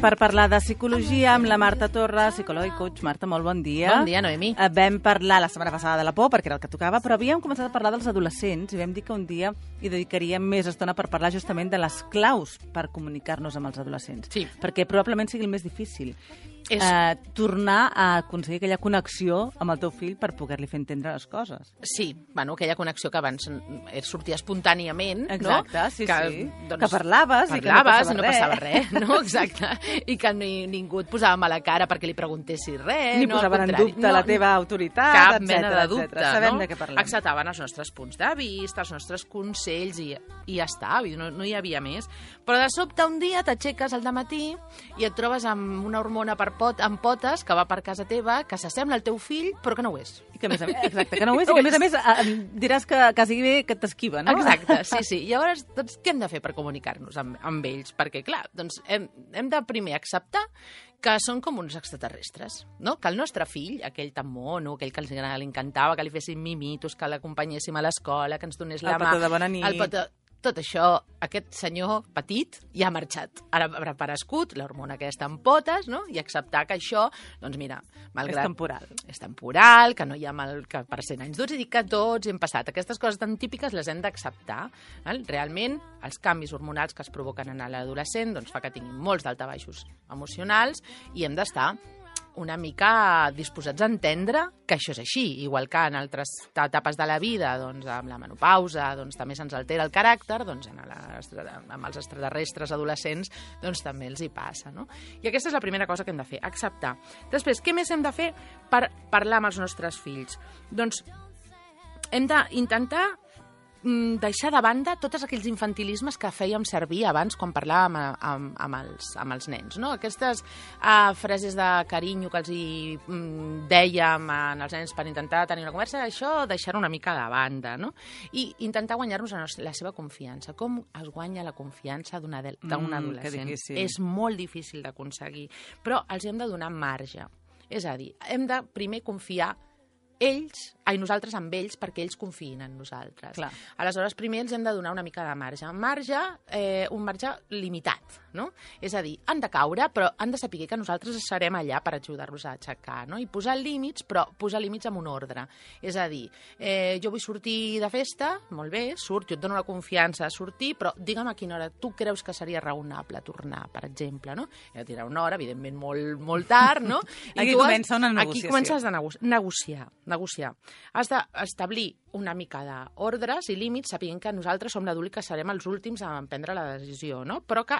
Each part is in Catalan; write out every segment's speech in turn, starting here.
per parlar de psicologia amb la Marta Torres, psicòloga i coach. Marta, molt bon dia. Bon dia, Noemi. Vam parlar la setmana passada de la por, perquè era el que tocava, però havíem començat a parlar dels adolescents i vam dir que un dia hi dedicaríem més estona per parlar justament de les claus per comunicar-nos amb els adolescents. Sí. Perquè probablement sigui el més difícil. És... tornar a aconseguir aquella connexió amb el teu fill per poder-li fer entendre les coses. Sí, bueno, aquella connexió que abans sortia espontàniament, exacte, no? Sí, que, sí. Doncs, que parlaves i que no passava res, no? Exacte. I que ningú et posava mala cara perquè li preguntessis res. Ni no, posaven en dubte la teva autoritat, cap etcètera, mena de dubte, Sabem no? de què parlem. Acceptaven els nostres punts de vista, els nostres consells i ja està, no hi havia més. Però de sobte un dia t'aixeques al dematí i et trobes amb una hormona amb potes que va per casa teva, que s'assembla al teu fill, però que no ho és. I que, exacte, que no ho és, i que a més diràs que quasi bé que t'esquiva, no? Exacte, sí. I llavors, doncs, què hem de fer per comunicar-nos amb ells? Perquè, clar, doncs hem de primer acceptar que són com uns extraterrestres, no? Que el nostre fill, aquell tan mono, aquell que li encantava, que li fessin mimitos, que l'acompanyéssim a l'escola, que ens donés la mà... El petó de bona nit... Tot això, aquest senyor petit ja ha marxat. Ara haurà aparegut l'hormona aquesta en potes, no? I acceptar que això, doncs mira, malgrat... És temporal, que no hi ha mal que per 100 anys durs, i dir que tots hem passat. Aquestes coses tan típiques les hem d'acceptar. Realment, els canvis hormonals que es provoquen en l'adolescent doncs, fa que tinguin molts daltabaixos emocionals i hem d'estar una mica disposats a entendre que això és així, igual que en altres etapes de la vida, doncs, amb la menopausa, doncs, també se'ns altera el caràcter, doncs, amb els extraterrestres adolescents doncs, també els hi passa. No? I aquesta és la primera cosa que hem de fer, acceptar. Després, què més hem de fer per parlar amb els nostres fills? Doncs hem d'intentar deixar de banda tots aquells infantilismes que fèiem servir abans quan parlàvem amb els nens. No? Aquestes frases de carinyo que els dèiem als nens per intentar tenir una conversa, això deixar una mica de banda. No? I intentar guanyar-nos la seva confiança. Com es guanya la confiança d'un adolescent? És molt difícil d'aconseguir, però els hem de donar marge. És a dir, hem de primer confiar nosaltres amb ells perquè ells confiïn en nosaltres. Clar. Aleshores, primer ens hem de donar una mica de marge. Un marge limitat, no? És a dir, han de caure, però han de saber que nosaltres serem allà per ajudar-los a aixecar, no? I posar límits, però posar límits amb un ordre. És a dir, jo vull sortir de festa, molt bé, jo et dono la confiança de sortir, però digue'm a quina hora tu creus que seria raonable tornar, per exemple, no? He de tirar una hora, evidentment molt tard, no? Aquí comença una negociació. Aquí comences a negociar. Has d'establir una mica d'ordres i límits sapient que nosaltres som l'adult i que serem els últims a prendre la decisió, no? Però que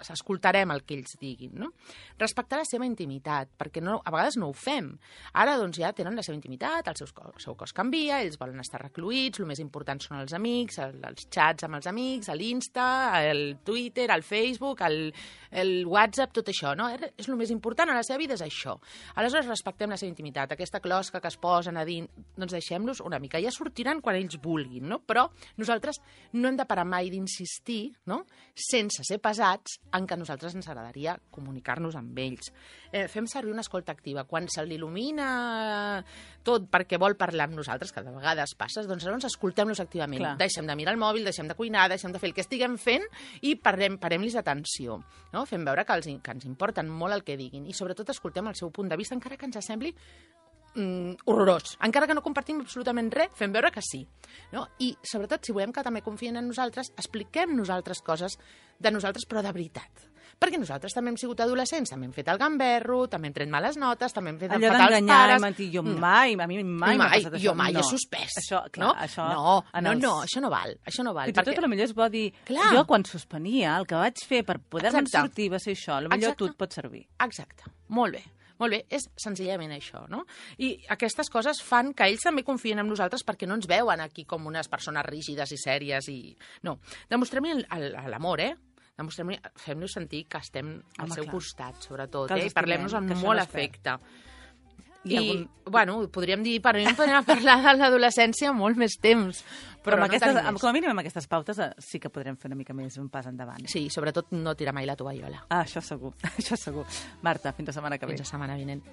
escoltarem el que ells diguin, no? Respectar la seva intimitat, perquè a vegades no ho fem. Ara doncs ja tenen la seva intimitat, el seu cos canvia, ells volen estar recluïts, el més important són els amics, els xats amb els amics, l'Insta, el Twitter, el Facebook, el WhatsApp, tot això, no? És el més important a la seva vida, és això. Aleshores respectem la seva intimitat, aquesta closca que es posen a dir, doncs deixem-los una mica. Ja sortiran quan ells vulguin, no? Però nosaltres no hem de parar mai d'insistir, no? Sense ser pesats, en què a nosaltres ens agradaria comunicar-nos amb ells. Fem servir una escolta activa. Quan se l'il·lumina tot perquè vol parlar amb nosaltres, que de vegades passa, doncs llavors escoltem-los activament. Clar. Deixem de mirar el mòbil, deixem de cuinar, deixem de fer el que estiguem fent i parem-los atenció. No? Fem veure que ens importen molt el que diguin i sobretot escoltem el seu punt de vista, encara que ens sembli horrorós. Encara que no compartim absolutament res, fem veure que sí. No? I, sobretot, si volem que també confien en nosaltres, expliquem nosaltres coses de nosaltres, però de veritat. Perquè nosaltres també hem sigut adolescents, també hem fet el gamberro, també hem tret males notes, també hem fet el fatal als pares... A mi mai m'ha passat això. Jo mai he suspès. Això, clar, no, això no val. Això no val. I tot potser és bo dir, jo quan suspenia, el que vaig fer per poder-me'n sortir va ser això, potser tu et pot servir. Exacte, molt bé. Molt bé, és senzillament això, no? I aquestes coses fan que ells també confien en nosaltres perquè no ens veuen aquí com unes persones rígides i sèries i... No, demostrem-li l'amor, fem-nos sentir que estem al seu costat, sobretot, i parlem-nos amb molt afecte. I, bueno, podríem dir, podríem parlar de l'adolescència molt més temps, però no tenim més. Com a mínim amb aquestes pautes sí que podrem fer una mica més un pas endavant. Sí, sobretot no tirar mai la tovallola. Això segur, això segur. Marta, fins la setmana que ve. Fins la setmana vinent.